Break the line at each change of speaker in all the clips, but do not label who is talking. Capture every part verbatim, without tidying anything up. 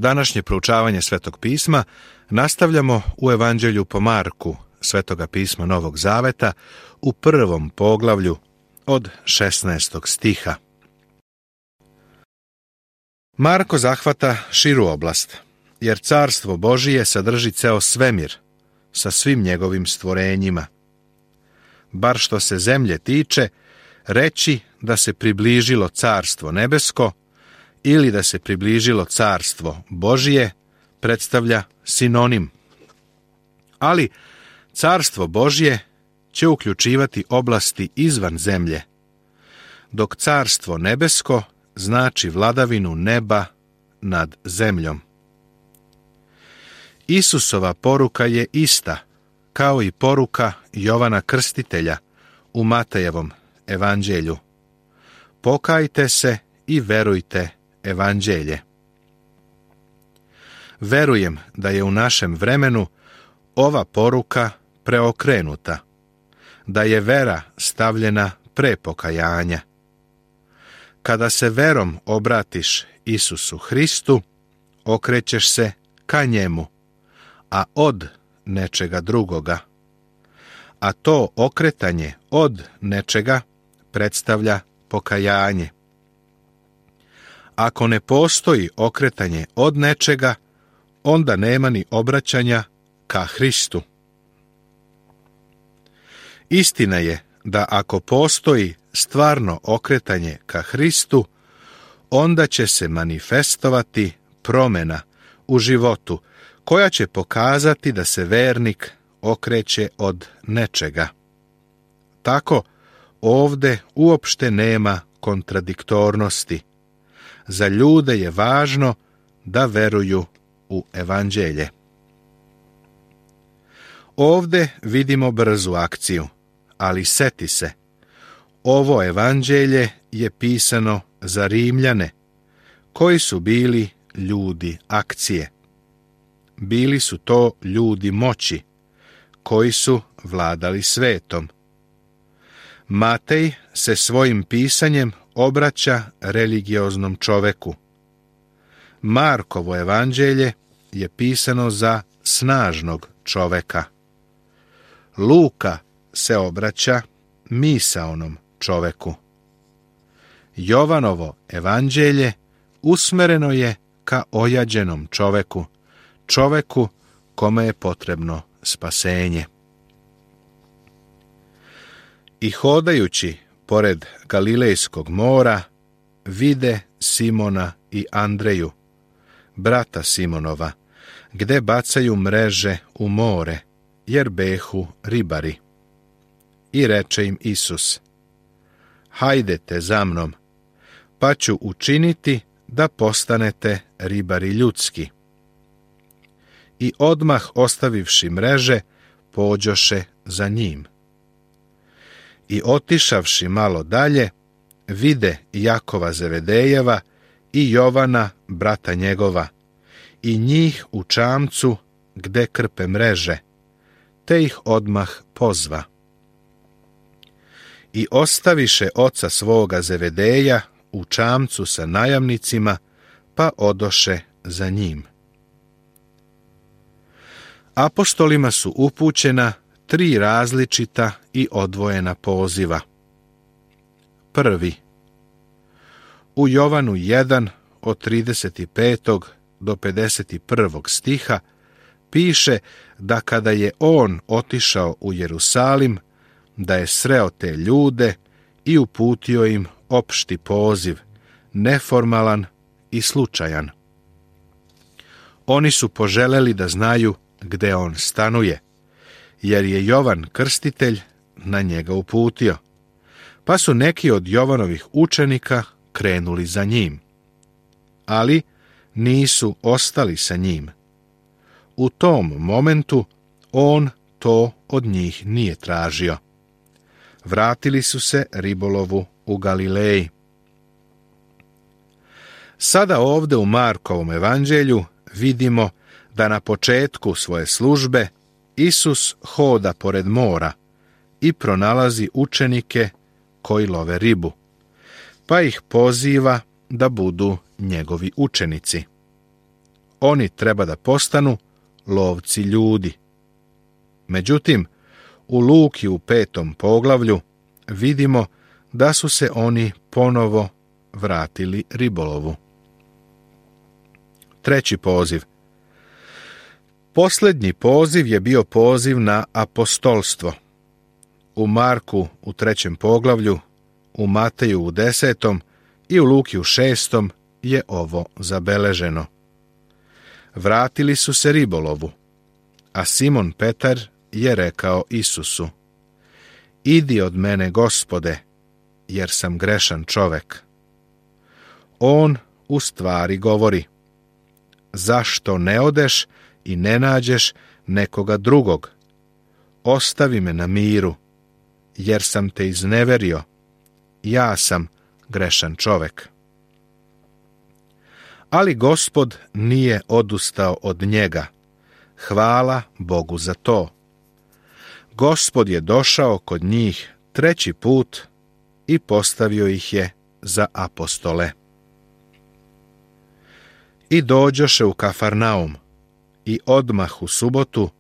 Današnje proučavanje Svetog pisma nastavljamo u Evanđelju po Marku, Svetoga pisma Novog Zaveta, u prvom poglavlju od šesnaestog stiha. Marko zahvata širu oblast, jer carstvo Božije sadrži ceo svemir sa svim njegovim stvorenjima. Bar što se zemlje tiče, reći da se približilo carstvo nebesko ili da se približilo carstvo Božije predstavlja sinonim. Ali carstvo Božje će uključivati oblasti izvan zemlje, dok carstvo nebesko znači vladavinu neba nad zemljom. Isusova poruka je ista, kao i poruka Jovana Krstitelja u Matejevom evanđelju. Pokajte se i verujte evanđelje. Verujem da je u našem vremenu ova poruka preokrenuta, da je vera stavljena pre pokajanja. Kada se verom obratiš Isusu Hristu, okrećeš se ka njemu, a od nečega drugoga. A to okretanje od nečega predstavlja pokajanje. Ako ne postoji okretanje od nečega, onda nema ni obraćanja ka Hristu. Istina je da ako postoji stvarno okretanje ka Hristu, onda će se manifestovati promjena u životu koja će pokazati da se vernik okreće od nečega. Tako, ovde uopšte nema kontradiktornosti. Za ljude je važno da veruju u evanđelje. Ovde vidimo brzu akciju, ali seti se, ovo evanđelje je pisano za Rimljane, koji su bili ljudi akcije. Bili su to ljudi moći, koji su vladali svetom. Matej se svojim pisanjem obraća religioznom čoveku. Markovo evanđelje je pisano za snažnog čoveka. Luka se obraća misaonom čoveku. Jovanovo evanđelje usmereno je ka ojađenom čoveku, čoveku kome je potrebno spasenje. I hodajući pored Galilejskog mora, vide Simona i Andreju, brata Simonova, gde bacaju mreže u more, jer behu ribari. I reče im Isus: hajdete za mnom, pa ću učiniti da postanete ribari ljudski. I odmah ostavivši mreže, pođoše za njim. I otišavši malo dalje, vide Jakova Zevedejeva i Jovana, brata njegova, i njih u čamcu gde krpe mreže, te ih odmah pozva. I ostaviše oca svoga Zevedeja u čamcu sa najamnicima, pa odoše za njim. Apostolima su upućena tri različita i odvojena poziva. Prvi. U Jovanu jedan od trideset petog do pedeset prvog stiha piše da kada je on otišao u Jerusalim, da je sreo te ljude i uputio im opšti poziv, neformalan i slučajan. Oni su poželeli da znaju gde on stanuje, jer je Jovan Krstitelj na njega uputio, pa su neki od Jovanovih učenika krenuli za njim, ali nisu ostali sa njim. U tom momentu on to od njih nije tražio. Vratili su se ribolovu u Galileji. Sada ovde u Markovom evanđelju vidimo da na početku svoje službe Isus hoda pored mora i pronalazi učenike koji love ribu, pa ih poziva da budu njegovi učenici. oni treba da postanu lovci ljudi. Međutim, u Luki u petom poglavlju vidimo da su se oni ponovo vratili ribolovu. Treći poziv. Posljednji poziv je bio poziv na apostolstvo. U Marku u trećem poglavlju, u Mateju u desetom i u Luki u šestom je ovo zabeleženo. Vratili su se ribolovu, a Simon Petar je rekao Isusu: Idi od mene, Gospode, jer sam grešan čovek. On u stvari govori: Zašto ne odeš i ne nađeš nekoga drugog? Ostavi me na miru, jer sam te izneverio. Ja sam grešan čovek. Ali Gospod nije odustao od njega. Hvala Bogu za to. Gospod je došao kod njih treći put i postavio ih je za apostole. I dođoše u Kafarnaum, i odmah u subotu,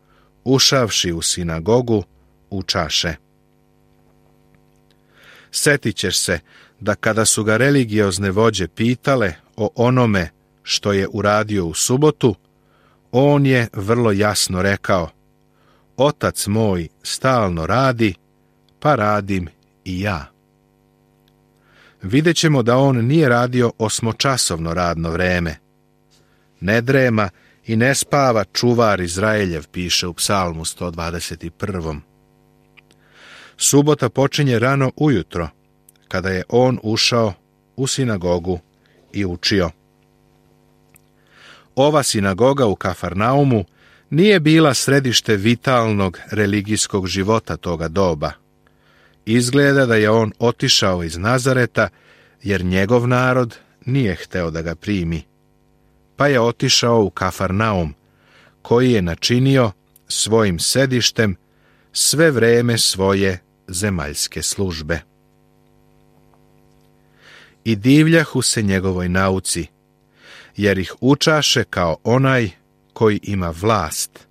ušavši u sinagogu, učaše. Setit ćeš se da kada su ga religiozne vođe pitale o onome što je uradio u subotu, on je vrlo jasno rekao: Otac moj stalno radi, pa radim i ja. Vidjet ćemo da on nije radio osmočasovno radno vreme. Ne drema i ne spava čuvar Izraeljev, piše u Psalmu sto dvadeset prvom. Subota počinje rano ujutro, kada je on ušao u sinagogu i učio. Ova sinagoga u Kafarnaumu nije bila središte vitalnog religijskog života toga doba. Izgleda da je on otišao iz Nazareta, jer njegov narod nije hteo da ga primi. Pa je otišao u Kafarnaum, koji je načinio svojim sedištem sve vreme svoje zemaljske službe. I divljahu se njegovoj nauci, jer ih učaše kao onaj koji ima vlast,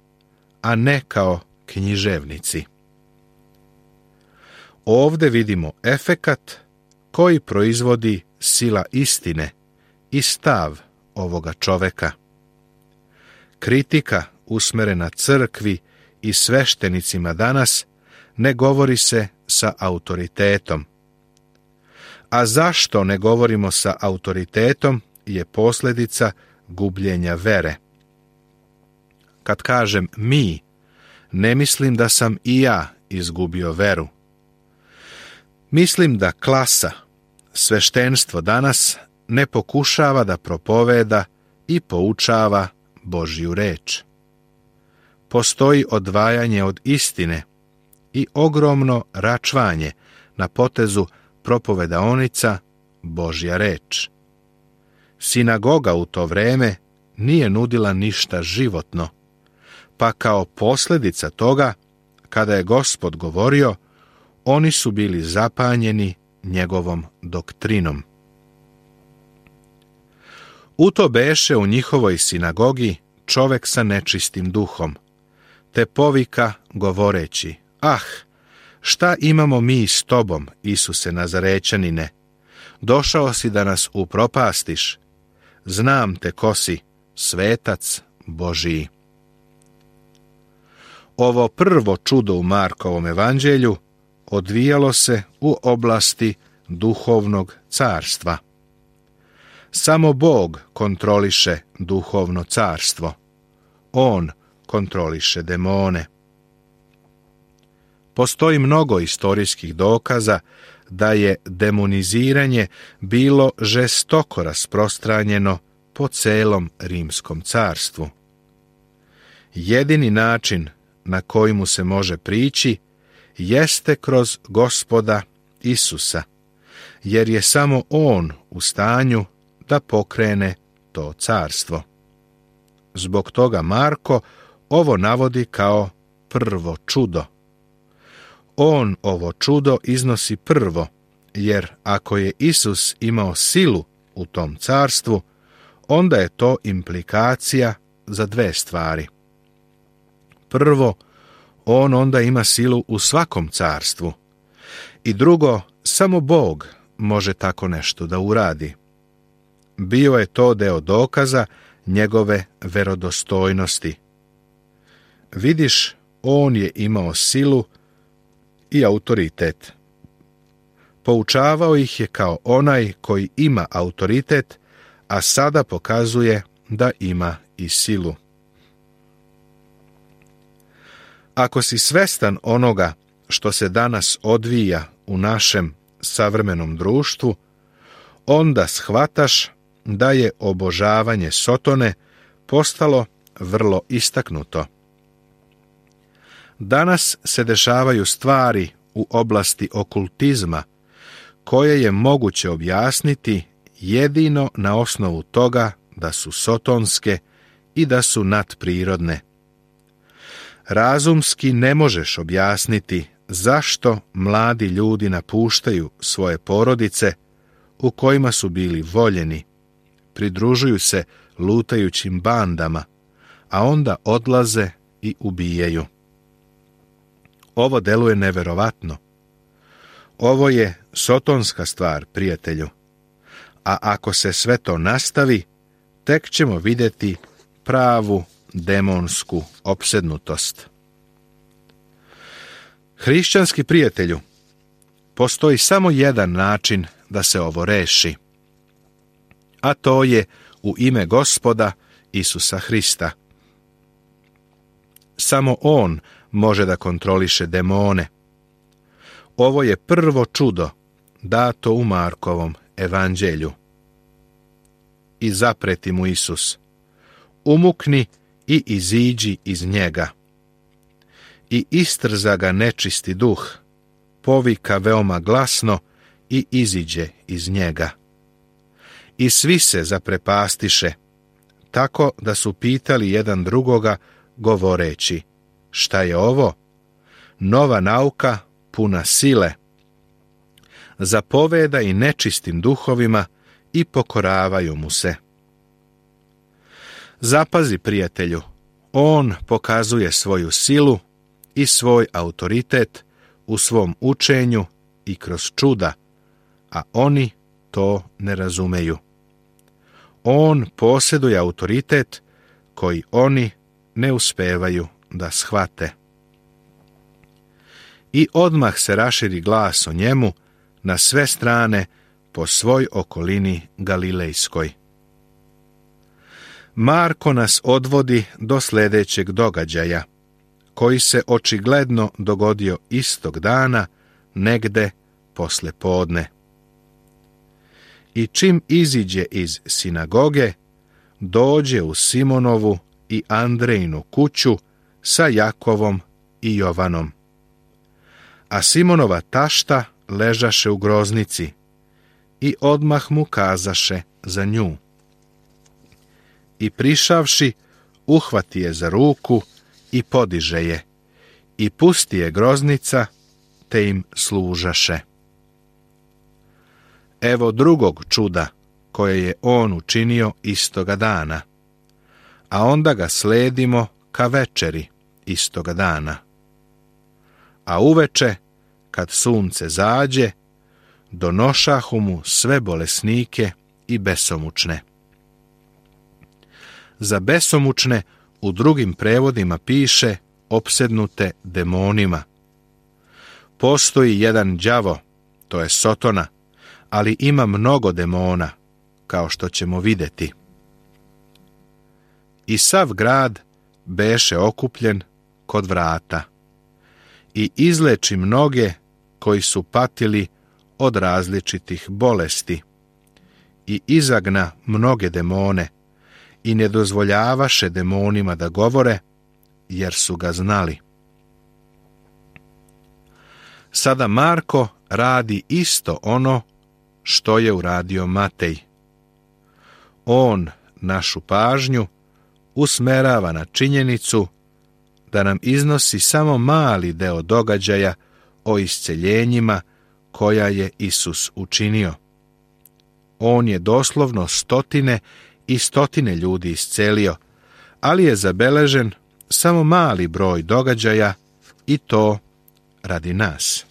a ne kao književnici. Ovde vidimo efekat koji proizvodi sila istine i stav ovoga čoveka. Kritika usmerena crkvi i sveštenicima danas ne govori se sa autoritetom. A zašto ne govorimo sa autoritetom je posljedica gubljenja vere. Kad kažem mi, ne mislim da sam i ja izgubio veru. Mislim da klasa, sveštenstvo danas ne pokušava da propoveda i poučava Božju reč. Postoji odvajanje od istine i ogromno račvanje na potezu propovedaonica Božja reč. Sinagoga u to vreme nije nudila ništa životno, pa kao posljedica toga, kada je Gospod govorio, oni su bili zapanjeni njegovom doktrinom. U to beše u njihovoj sinagogi čovek sa nečistim duhom, te povika govoreći: Ah, šta imamo mi s tobom, Isuse Nazarećanine? Došao si da nas upropastiš. Znam te ko si, svetac Božiji. Ovo prvo čudo u Markovom evanđelju odvijalo se u oblasti duhovnog carstva. Samo Bog kontroliše duhovno carstvo. On kontroliše demone. Postoji mnogo istorijskih dokaza da je demoniziranje bilo žestoko rasprostranjeno po celom Rimskom carstvu. Jedini način na koji mu se može prići jeste kroz Gospoda Isusa, jer je samo on u stanju da pokrene to carstvo. Zbog toga Marko ovo navodi kao prvo čudo. On ovo čudo iznosi prvo, jer ako je Isus imao silu u tom carstvu, onda je to implikacija za dve stvari. Prvo, on onda ima silu u svakom carstvu. I drugo, samo Bog može tako nešto da uradi. Bio je to deo dokaza njegove verodostojnosti. Vidiš, on je imao silu i autoritet. Poučavao ih je kao onaj koji ima autoritet, a sada pokazuje da ima i silu. Ako si svestan onoga što se danas odvija u našem savremenom društvu, onda shvataš da je obožavanje Sotone postalo vrlo istaknuto. Danas se dešavaju stvari u oblasti okultizma koje je moguće objasniti jedino na osnovu toga da su sotonske i da su nadprirodne. Razumski ne možeš objasniti zašto mladi ljudi napuštaju svoje porodice u kojima su bili voljeni, pridružuju se lutajućim bandama, a onda odlaze i ubijaju. Ovo deluje neverovatno. Ovo je sotonska stvar, prijatelju. A ako se sve to nastavi, tek ćemo vidjeti pravu demonsku opsednutost. Hrišćanski prijatelju, postoji samo jedan način da se ovo reši, a to je u ime Gospoda Isusa Hrista. Samo On može da kontroliše demone. Ovo je prvo čudo dato u Markovom evanđelju. I zapreti mu Isus: umukni i iziđi iz njega. I istrza ga nečisti duh, povika veoma glasno i iziđe iz njega. I svi se zaprepastiše, tako da su pitali jedan drugoga, govoreći: šta je ovo? Nova nauka puna sile. Zapoveda i nečistim duhovima i pokoravaju mu se. Zapazi, prijatelju, on pokazuje svoju silu i svoj autoritet u svom učenju i kroz čuda, a oni to ne razumeju. On posjeduje autoritet koji oni ne uspevaju da shvate. I odmah se raširi glas o njemu na sve strane po svoj okolini Galilejskoj. Marko nas odvodi do sljedećeg događaja, koji se očigledno dogodio istog dana, negde posle podne. I čim iziđe iz sinagoge, dođe u Simonovu i Andrejinu kuću sa Jakovom i Jovanom. A Simonova tašta ležaše u groznici i odmah mu kazaše za nju. I prišavši, uhvati je za ruku i podiže je, i pusti je groznica, te im služaše. Evo drugog čuda koje je on učinio istoga dana, a onda ga sledimo ka večeri istoga dana. A uveče, kad sunce zađe, donošahu mu sve bolesnike i besomučne. Za besomučne u drugim prevodima piše opsednute demonima. Postoji jedan đavo, to je Sotona, ali ima mnogo demona, kao što ćemo vidjeti. I sav grad beše okupljen kod vrata i izleči mnoge koji su patili od različitih bolesti i izagna mnoge demone i ne dozvoljavaše demonima da govore, jer su ga znali. Sada Marko radi isto ono što je uradio Matej. On našu pažnju usmerava na činjenicu da nam iznosi samo mali deo događaja o isceljenjima koja je Isus učinio. On je doslovno stotine i stotine ljudi iscelio, ali je zabeležen samo mali broj događaja i to radi nas.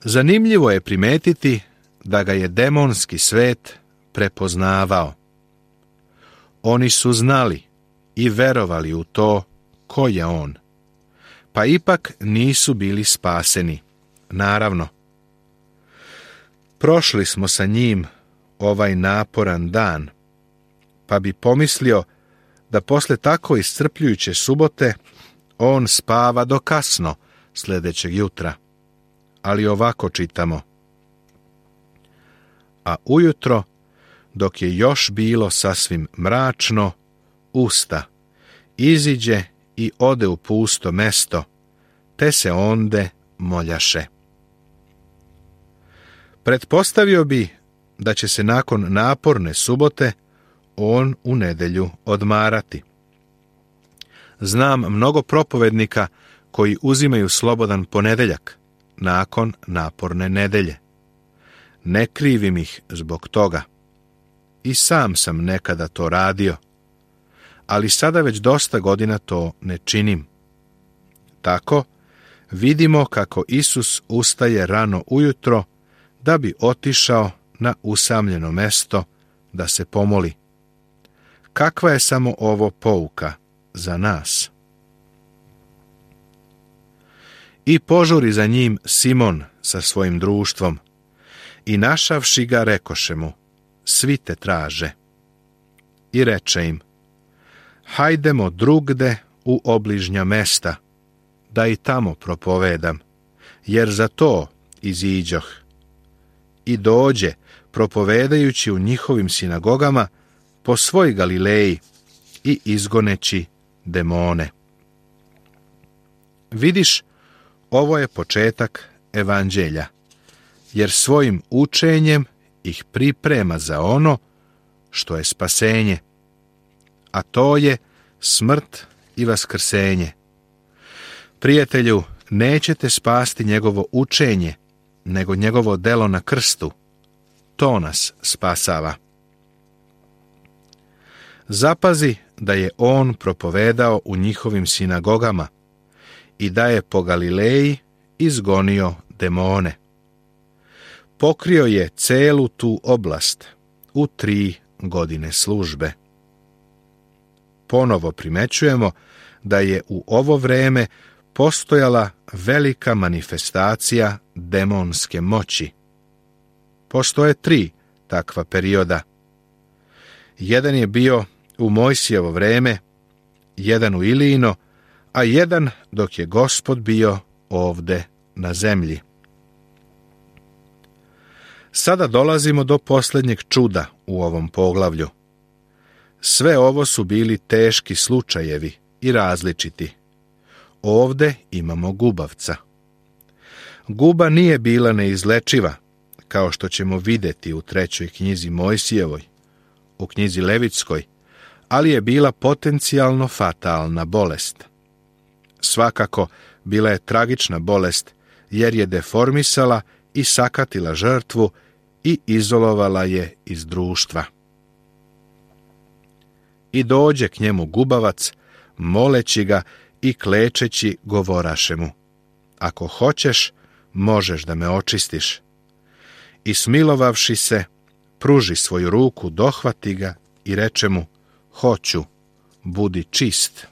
Zanimljivo je primetiti da ga je demonski svet prepoznavao. Oni su znali i verovali u to ko je on, pa ipak nisu bili spaseni, naravno. Prošli smo sa njim ovaj naporan dan, pa bi pomislio da posle tako iscrpljujuće subote on spava do kasno sljedećeg jutra. Ali ovako čitamo. A ujutro, dok je još bilo sasvim mračno, usta, iziđe i ode u pusto mesto, te se onde moljaše. Pretpostavio bi da će se nakon naporne subote on u nedjelju odmarati. Znam mnogo propovednika koji uzimaju slobodan ponedjeljak nakon naporne nedelje. Ne krivim ih zbog toga. I sam sam nekada to radio, ali sada već dosta godina to ne činim. Tako vidimo kako Isus ustaje rano ujutro da bi otišao na usamljeno mesto da se pomoli. Kakva je samo ovo pouka za nas? I požuri za njim Simon sa svojim društvom, i našavši ga rekoše mu, svi te traže. I reče im, hajdemo drugde u obližnja mesta, da i tamo propovedam, jer za to iziđoh. I dođe, propovedajući u njihovim sinagogama po svoj Galileji i izgoneći demone. Vidiš, ovo je početak evanđelja, jer svojim učenjem ih priprema za ono što je spasenje, a to je smrt i vaskrsenje. Prijatelju, nećete spasti njegovo učenje, nego njegovo delo na krstu. To nas spasava. Zapazi da je on propovedao u njihovim sinagogama i da je po Galileji izgonio demone. Pokrio je celu tu oblast u tri godine službe. Ponovo primećujemo da je u ovo vreme postojala velika manifestacija demonske moći. Postoje tri takva perioda. Jedan je bio u Mojsijevo vreme, jedan u Ilijino, a jedan dok je Gospod bio ovde na zemlji. Sada dolazimo do posljednjeg čuda u ovom poglavlju. Sve ovo su bili teški slučajevi i različiti. Ovde imamo gubavca. Guba nije bila neizlečiva, kao što ćemo vidjeti u trećoj knjizi Mojsijevoj, u knjizi Levitskoj, ali je bila potencijalno fatalna bolest. Svakako, bila je tragična bolest, jer je deformisala i sakatila žrtvu i izolovala je iz društva. I dođe k njemu gubavac, moleći ga i klečeći govoraše mu, ako hoćeš, možeš da me očistiš. I smilovavši se, pruži svoju ruku, dohvati ga i reče mu, hoću, budi čist.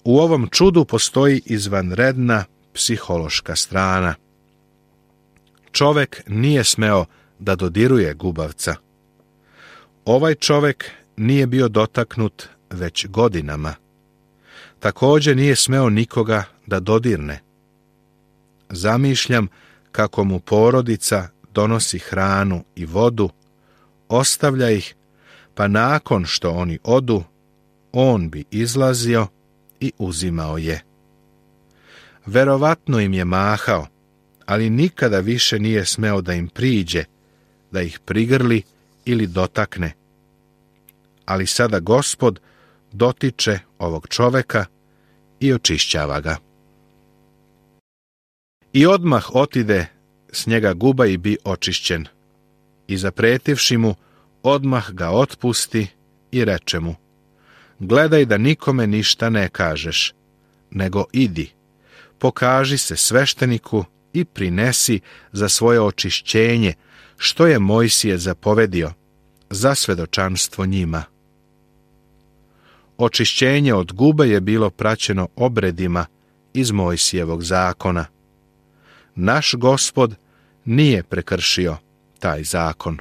U ovom čudu postoji izvanredna psihološka strana. Čovek nije smeo da dodiruje gubavca. Ovaj čovek nije bio dotaknut već godinama. Također nije smeo nikoga da dodirne. Zamišljam kako mu porodica donosi hranu i vodu, ostavlja ih, pa nakon što oni odu, on bi izlazio i uzimao je. Verovatno im je mahao, ali nikada više nije smeo da im priđe, da ih prigrli ili dotakne. Ali sada Gospod dotiče ovog čoveka i očišćava ga. I odmah otide s njega guba i bi očišćen. i zapretivši mu, odmah ga otpusti i reče mu: gledaj da nikome ništa ne kažeš, nego idi, pokaži se svešteniku i prinesi za svoje očišćenje, što je Mojsije zapovedio, za svedočanstvo njima. Očišćenje od gube je bilo praćeno obredima iz Mojsijevog zakona. Naš Gospod nije prekršio taj zakon.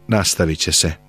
Nastavit će se.